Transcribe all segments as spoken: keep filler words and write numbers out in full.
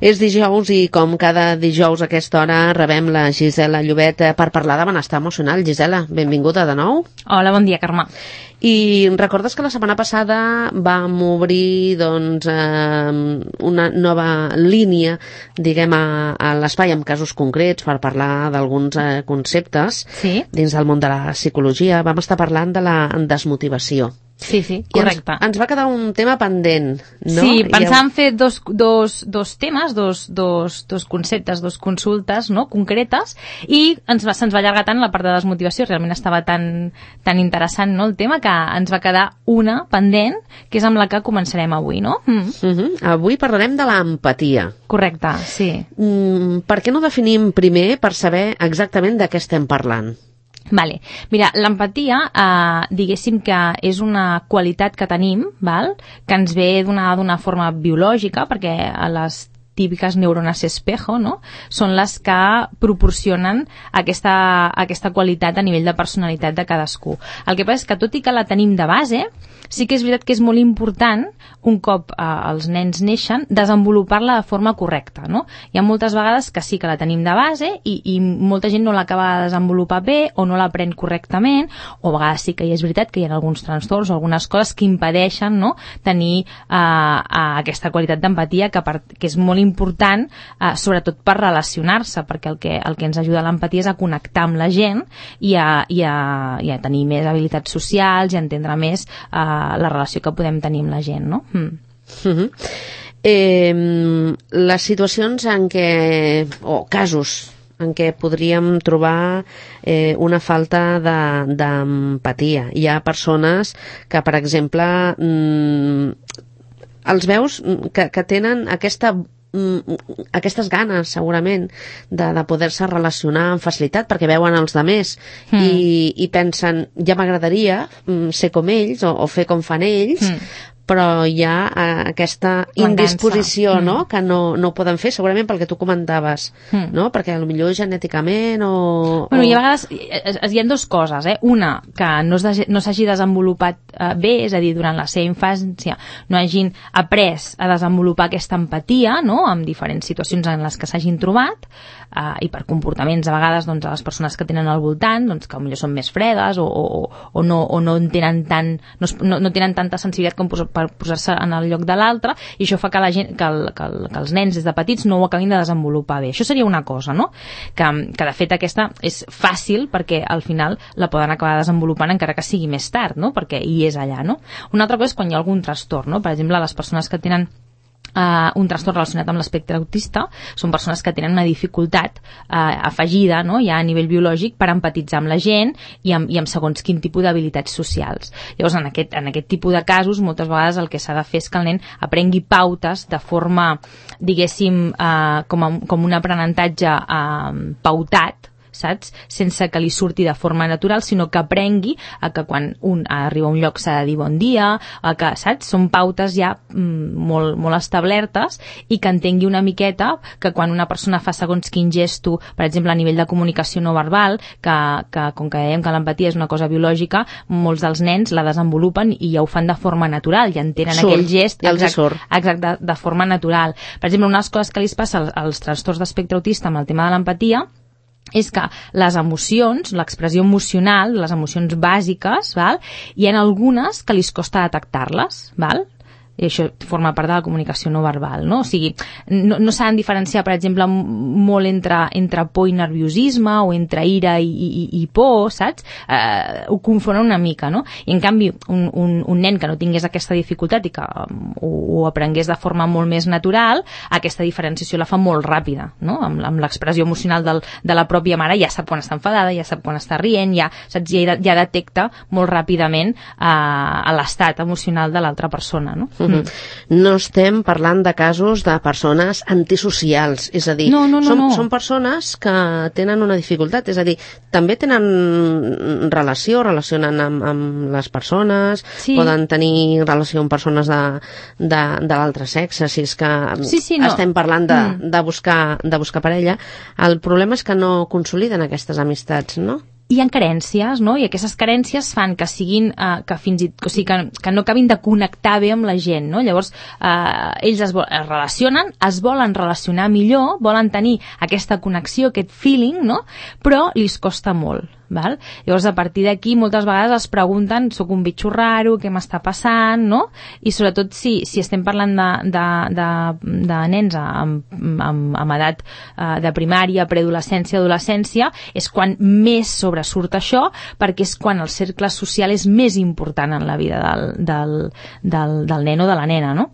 És dijous i com cada dijous a aquesta hora rebem la Gisela Llobet per parlar de benestar emocional. Gisela, benvinguda de nou. Hola, bon dia, Carme. I recordes que la setmana passada vam obrir doncs, eh, una nova línia, diguem, a, a l'espai amb casos concrets per parlar d'alguns eh, conceptes sí? dins del món de la psicologia. Vam estar parlant de la desmotivació. Sí, sí, correcte. Ens, ens va quedar un tema pendent, no? Sí, pensàvem ja... fer dos, dos, dos temes, dos, dos, dos conceptes, dos consultes, no?, concretes, i ens va, se'ns va allargar tant la part de desmotivació, realment estava tan, tan interessant, no?, el tema, que ens va quedar una pendent, que és amb la que començarem avui, no? Mm. Uh-huh. Avui parlarem de l'empatia. Correcte, sí. Mm, per què no definim primer per saber exactament de què estem parlant? Vale. Mira, l'empatia, eh, diguéssim que és una qualitat que tenim, val? Que ens ve donada d'una forma biològica, perquè a les típiques neurones espejo, no?, són les que proporcionen aquesta, aquesta qualitat a nivell de personalitat de cadascú. El que passa és que, tot i que la tenim de base, sí que és veritat que és molt important, un cop eh, els nens neixen, desenvolupar-la de forma correcta, no? Hi ha moltes vegades que sí que la tenim de base i, i molta gent no l'acaba de desenvolupar bé o no l'aprèn correctament, o a vegades sí que hi és veritat que hi ha alguns trastorns o algunes coses que impedeixen, no?, tenir eh, eh, aquesta qualitat d'empatia que, per, que és molt important, eh, sobretot per relacionar-se, perquè el que, el que ens ajuda l'empatia és a connectar amb la gent i a, i a, i a tenir més habilitats socials i a entendre més eh, la relació que podem tenir amb la gent, no? Mm. Uh-huh. Eh, les situacions en què, o casos en què podríem trobar eh, una falta d'empatia. Hi ha persones que, per exemple, mm, els veus que, que tenen aquesta aquestes ganes, segurament, de, de poder-se relacionar amb facilitat, perquè veuen els demés mm. i, i pensen, ja m'agradaria ser com ells o, o fer com fan ells, mm. però hi ha eh, aquesta indisposició, mm. no?, que no, no ho poden fer, segurament pel que tu comentaves, mm. no?, perquè potser genèticament o... Bueno, o... i a vegades hi ha dues coses, eh? Una, que no s'hagi no desenvolupat eh, bé, és a dir, durant la seva infància no hagin après a desenvolupar aquesta empatia, no?, amb diferents situacions en les que s'hagin trobat, eh, i per comportaments a vegades, doncs, a les persones que tenen al voltant, doncs, que potser són més fredes o, o, o, no, o no, tenen tant, no, no, no tenen tanta sensibilitat com per posar-se en el lloc de l'altre, i això fa que, la gent, que, el, que, el, que els nens des de petits no ho acabin de desenvolupar bé. Això seria una cosa, no?, que, que de fet aquesta és fàcil perquè al final la poden acabar desenvolupant encara que sigui més tard, no?, perquè hi és allà, no? Una altra cosa és quan hi ha algun trastorn, no?, per exemple, les persones que tenen Uh, un trastorn relacionat amb l'espectre autista són persones que tenen una dificultat uh, afegida, no?, ja a nivell biològic per empatitzar amb la gent i amb, i amb segons quin tipus d'habilitats socials. Llavors, en aquest, en aquest tipus de casos, moltes vegades el que s'ha de fer és que el nen aprengui pautes de forma, diguéssim, uh, com, a, com un aprenentatge uh, pautat, saps? Sense que li surti de forma natural, sinó que aprengui a que quan un arriba a un lloc s'ha de dir bon dia, a que, saps? Són pautes ja mm, molt, molt establertes, i que entengui una miqueta que quan una persona fa segons quin gesto, per exemple, a nivell de comunicació no verbal, que, que com que dèiem que l'empatia és una cosa biològica, molts dels nens la desenvolupen i ja ho fan de forma natural, ja entenen surt, aquell gest exact, exact de, de forma natural. Per exemple, una de les coses que li passa als, als trastorns d'espectre autista amb el tema de l'empatia és que les emocions, l'expressió emocional, les emocions bàsiques, val? Hi ha algunes que li costa detectar-les, val? I això forma part de la comunicació no verbal, no? O sigui, no, no s'ha de diferenciar, per exemple, molt entre, entre por i nerviosisme, o entre ira i, i, i por, saps? Eh, ho confonen una mica, no? I en canvi, un, un, un nen que no tingués aquesta dificultat i que um, ho, ho aprengués de forma molt més natural, aquesta diferenciació la fa molt ràpida, no? Amb, amb l'expressió emocional del, de la pròpia mare ja sap quan està enfadada, ja sap quan està rient, ja, saps? Ja, ja detecta molt ràpidament eh, l'estat emocional de l'altra persona, no? Uh-huh. No estem parlant de casos de persones antisocials, és a dir, no, no, no, són, no. són persones que tenen una dificultat, és a dir, també tenen relació, relacionen amb, amb les persones, sí. Poden tenir relació amb persones de, de, de l'altre sexe, si és que sí, sí, no. estem parlant de, mm. de, buscar, de buscar parella. El problema és que no consoliden aquestes amistats, no? hi ha carències, no? I aquestes carències fan que siguin, eh, que fins i o sigui, que, que no acabin de connectar bé amb la gent, no? Llavors, eh, ells es, es relacionen, es volen relacionar millor, volen tenir aquesta connexió, aquest feeling, no? Però li costa molt. Val? Llavors, a partir d'aquí, moltes vegades es pregunten, soc un bitxo raro, què m'està passant, no? I sobretot si, si estem parlant de, de, de, de nens amb, amb, amb edat eh, de primària, preadolescència, adolescència, és quan més sobresurt això, perquè és quan el cercle social és més important en la vida del, del, del, del nen o de la nena, no?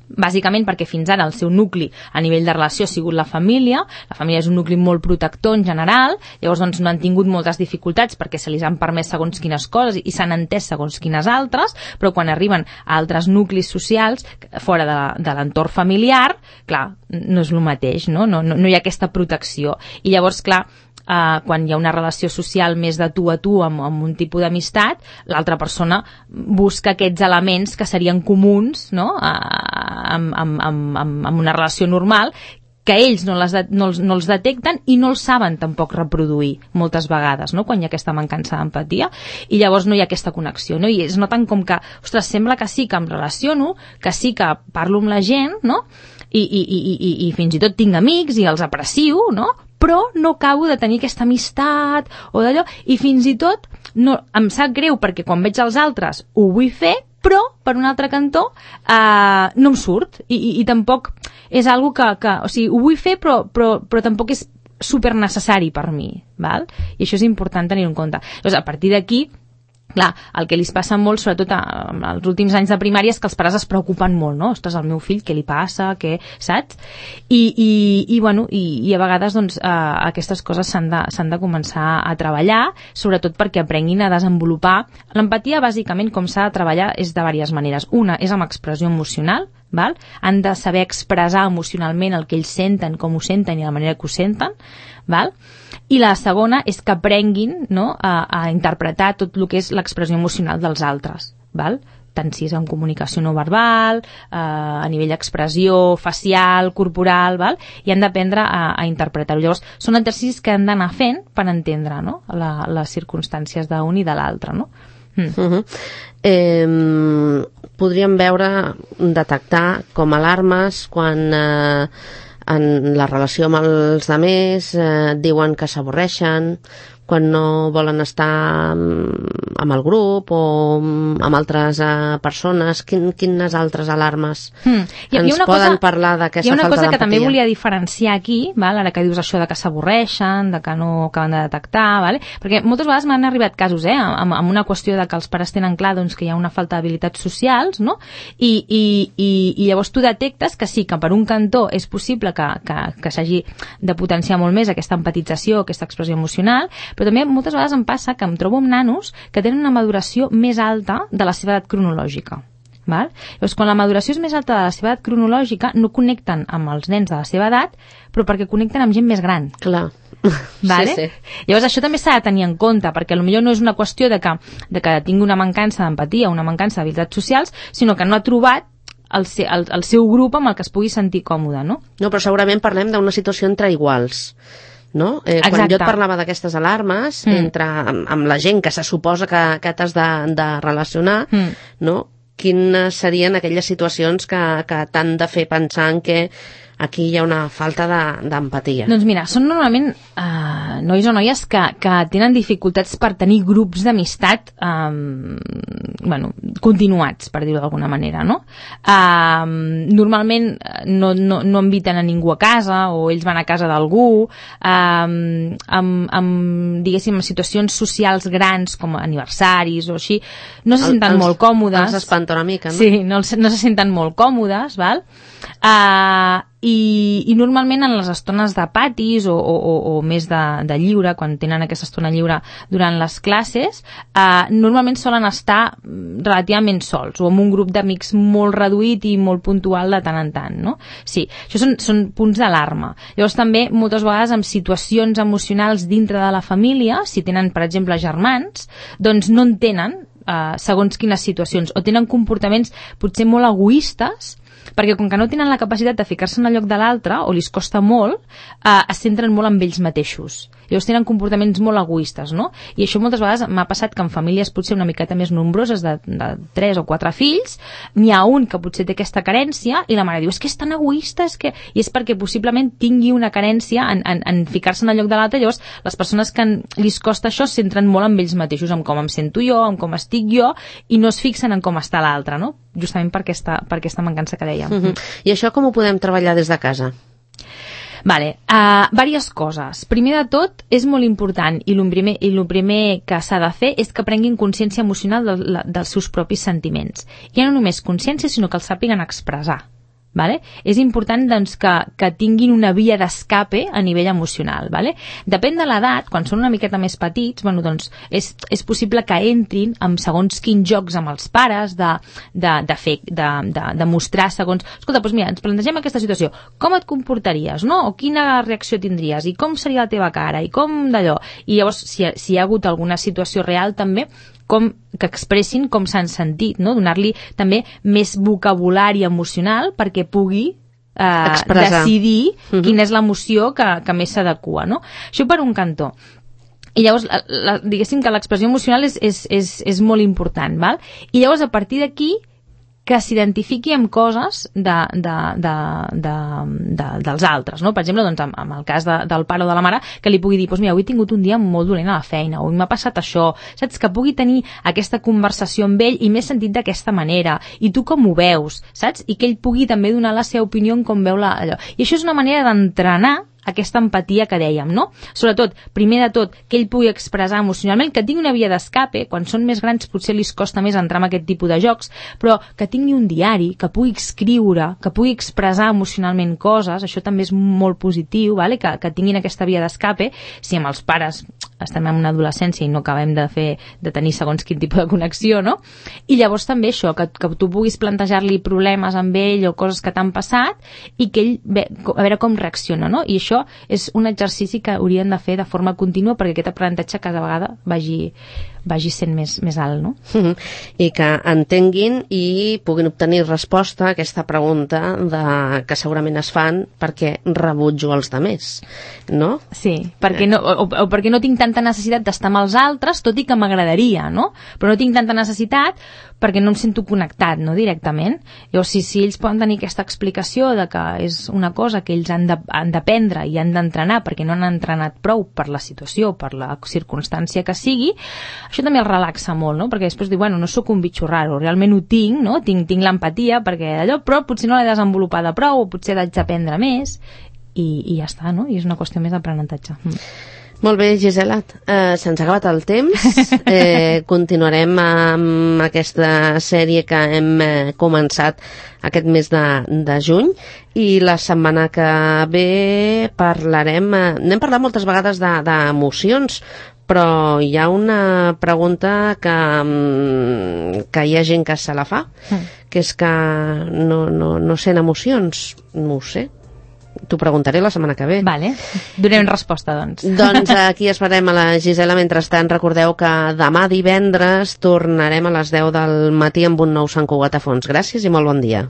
Bàsicament perquè fins ara el seu nucli a nivell de relació ha sigut la família, la família és un nucli molt protector en general, llavors doncs no han tingut moltes dificultats perquè se li han permès segons quines coses i s'han entès segons quines altres, però quan arriben a altres nuclis socials fora de, de l'entorn familiar, clar, no és el mateix, no? No, no, no hi ha aquesta protecció. I llavors, clar, Uh, quan hi ha una relació social més de tu a tu amb, amb un tipus d'amistat, l'altra persona busca aquests elements que serien comuns, no? uh, amb, amb, amb, amb una relació normal, que ells no, les de, no, els, no els detecten i no els saben tampoc reproduir moltes vegades, no? Quan hi ha aquesta mancança d'empatia, i llavors no hi ha aquesta connexió, no? I es noten com que, ostres, sembla que sí que em relaciono, que sí que parlo amb la gent, no? I, i, i, i, i fins i tot tinc amics i els aprecio, no? Però no acabo de tenir aquesta amistat o d'allò, i fins i tot no, em sap greu perquè quan veig els altres ho vull fer, però per un altre cantó eh, no em surt i, i, i tampoc és algo que, que o sigui, ho vull fer però, però, però tampoc és super necessari per mi, val? I això és important tenir en compte. Llavors, a partir d'aquí, clar, el que li passa molt, sobretot als últims anys de primària, és que els pares es preocupen molt, no? Ostres, al meu fill, què li passa? Què, saps? I, i, i, bueno, i, i a vegades doncs, eh, aquestes coses s'han de, s'han de començar a treballar, sobretot perquè aprenguin a desenvolupar. L'empatia, bàsicament, com s'ha de treballar, és de diverses maneres. Una és amb expressió emocional, val? Han de saber expressar emocionalment el que ells senten, com ho senten i la manera que ho senten, val? I la segona és que aprenguin, no, a, a interpretar tot el que és l'expressió emocional dels altres, val? Tant si és en comunicació no verbal, eh, a nivell d'expressió facial, corporal, val? I han d'aprendre a, a interpretar-ho. Llavors, són exercicis que han d'anar fent per entendre, no, la, les circumstàncies d'un i de l'altre, no? Mm. Uh-huh. eh, podríem veure, detectar com alarmes quan eh, en la relació amb els altres eh, diuen que s'avorreixen, quan no volen estar amb el grup o amb altres eh, persones. Quin, quines altres alarmes mm. I, ens hi ha poden cosa, parlar d'aquesta falta d'empatia? Hi ha una cosa que també volia diferenciar aquí, val? Ara que dius això de que s'avorreixen, de que no acaben de detectar, vale? Perquè moltes vegades m'han arribat casos, eh, amb, amb una qüestió de que els pares tenen clar doncs, que hi ha una falta d'habilitats socials, no? I, i, i, i llavors tu detectes que sí, que per un cantó és possible que, que, que s'hagi de potenciar molt més aquesta empatització, aquesta expressió emocional, però també moltes vegades em passa que em trobo amb nanos que tenen una maduració més alta de la seva edat cronològica. Val? Llavors, quan la maduració és més alta de la seva edat cronològica, no connecten amb els nens de la seva edat, però perquè connecten amb gent més gran. Clar. Vale? Sí, sí. Llavors, això també s'ha de tenir en compte, perquè potser no és una qüestió de que, de que tingui una mancança d'empatia, una mancança d'habilitats socials, sinó que no ha trobat el, el, el seu grup amb el que es pugui sentir còmode, no? No, però segurament parlem d'una situació entre iguals. No? Eh, quan jo et parlava d'aquestes alarmes mm. entre, amb, amb la gent que se suposa que, que t'has de, de relacionar, mm. no? Quines serien aquelles situacions que, que t'han de fer pensar en que aquí hi ha una falta d'empatia? Doncs mira, són normalment uh, nois o noies que, que tenen dificultats per tenir grups d'amistat um, bueno, continuats, per dir-ho d'alguna manera, no? Um, normalment no, no, no inviten a ningú a casa, o ells van a casa d'algú, um, amb, amb, diguéssim, situacions socials grans com aniversaris o així, no se senten els, molt còmodes. Els espanta una mica, no? Sí, no, no se senten molt còmodes, val? Uh, i, i normalment en les estones de patis o, o, o més de, de lliure, quan tenen aquesta estona lliure durant les classes, uh, normalment solen estar relativament sols o amb un grup d'amics molt reduït i molt puntual de tant en tant, no? Sí, això són, són punts d'alarma. Llavors també moltes vegades amb situacions emocionals dintre de la família, si tenen per exemple germans, doncs no en tenen Uh, segons quines situacions, o tenen comportaments potser molt egoistes perquè com que no tenen la capacitat de ficar-se en el lloc de l'altre, o li costa molt, eh, es centren molt en ells mateixos. Llavors tenen comportaments molt egoistes, no? I això moltes vegades m'ha passat que en famílies potser una miqueta més nombroses, de, de tres o quatre fills, n'hi ha un que potser té aquesta carència i la mare diu, és que és tan egoista, és que... I és perquè possiblement tingui una carència en, en, en ficar-se en el lloc de l'altre. Llavors les persones que en, li costa això es centren molt en ells mateixos, en com em sento jo, en com estic jo, i no es fixen en com està l'altre, no? Justament per aquesta, per aquesta mancança que dèiem. Uh-huh. I això com ho podem treballar des de casa? Vale, uh, diverses coses. Primer de tot, és molt important, i el primer, i el primer que s'ha de fer és que prenguin consciència emocional de, de, dels seus propis sentiments. I no només consciència, sinó que els sàpiguen expressar. Vale? És important doncs, que, que tinguin una via d'escape a nivell emocional. Vale? Depèn de l'edat, quan són una miqueta més petits, bueno, doncs, és, és possible que entrin en segons quins jocs amb els pares, de, de, de, fer, de, de, de mostrar segons... Escolta, doncs mira, ens plantegem aquesta situació. Com et comportaries, no? O quina reacció tindries? I com seria la teva cara? I com d'allò? I llavors, si, si hi ha hagut alguna situació real, també, com que expressin com s'han sentit, no? Donar-li també més vocabulari emocional perquè pugui eh, decidir uh-huh. quina és l'emoció que, que més s'adequa, no? Això per un cantó. I llavors, la, la, diguéssim que l'expressió emocional és, és, és, és molt important, val? I llavors, a partir d'aquí, que s'identifiqui amb coses de, de, de, de, de, dels altres, no? Per exemple, doncs, amb, amb el cas de, del pare o de la mare, que li pugui dir, doncs mira, avui he tingut un dia molt dolent a la feina, avui m'ha passat això, saps? Que pugui tenir aquesta conversació amb ell i m'he sentit d'aquesta manera, i tu com ho veus, saps? I que ell pugui també donar la seva opinió en com veu la, allò. I això és una manera d'entrenar aquesta empatia que dèiem, no? Sobretot, primer de tot, que ell pugui expressar emocionalment, que tingui una via d'escape, quan són més grans potser li costa més entrar en aquest tipus de jocs, però que tingui un diari, que pugui escriure, que pugui expressar emocionalment coses, això també és molt positiu, vale? que, que tinguin aquesta via d'escape. Si amb els pares estem en una adolescència i no acabem de fer de tenir segons quin tipus de connexió, no? I llavors també això, que, que tu puguis plantejar-li problemes amb ell o coses que t'han passat i que ell ve, a veure com reacciona, no? I això és un exercici que haurien de fer de forma contínua perquè aquest aprenentatge cada vegada vagi, vagi sent més, més alt, no? Uh-huh. I que entenguin i puguin obtenir resposta a aquesta pregunta de, que segurament es fan perquè rebutjo els demés, no? Sí, perquè no, o, o perquè no tinc tanta necessitat d'estar amb els altres, tot i que m'agradaria, no? Però no tinc tanta necessitat perquè no em sento connectat, no, directament. Llavors, si, si ells poden tenir aquesta explicació de que és una cosa que ells han de, han d'aprendre i han d'entrenar perquè no han entrenat prou per la situació, per la circumstància que sigui, això també els relaxa molt, no? Perquè després diu, bueno, no sóc un bitxo raro, realment ho tinc, no? Tinc, tinc l'empatia perquè allò, però potser no l'he desenvolupada prou o potser haig d'aprendre més i, i ja està, no? I és una qüestió més d'aprenentatge. Mm. Molt bé, Gisela, eh, se'ns ha acabat el temps. Eh, continuarem amb aquesta sèrie que hem eh, començat aquest mes de, de juny i la setmana que ve parlarem, eh, n'hem parlat moltes vegades d'emocions, però hi ha una pregunta que, que hi ha gent que se la fa, que és que no, no, no sent emocions, no ho sé. T'ho preguntaré la setmana que ve. Vale, donem resposta, doncs. Doncs aquí esperem a la Gisela. Mentrestant, recordeu que demà divendres tornarem a les deu del matí amb un nou Sant Cugat a fons. Gràcies i molt bon dia.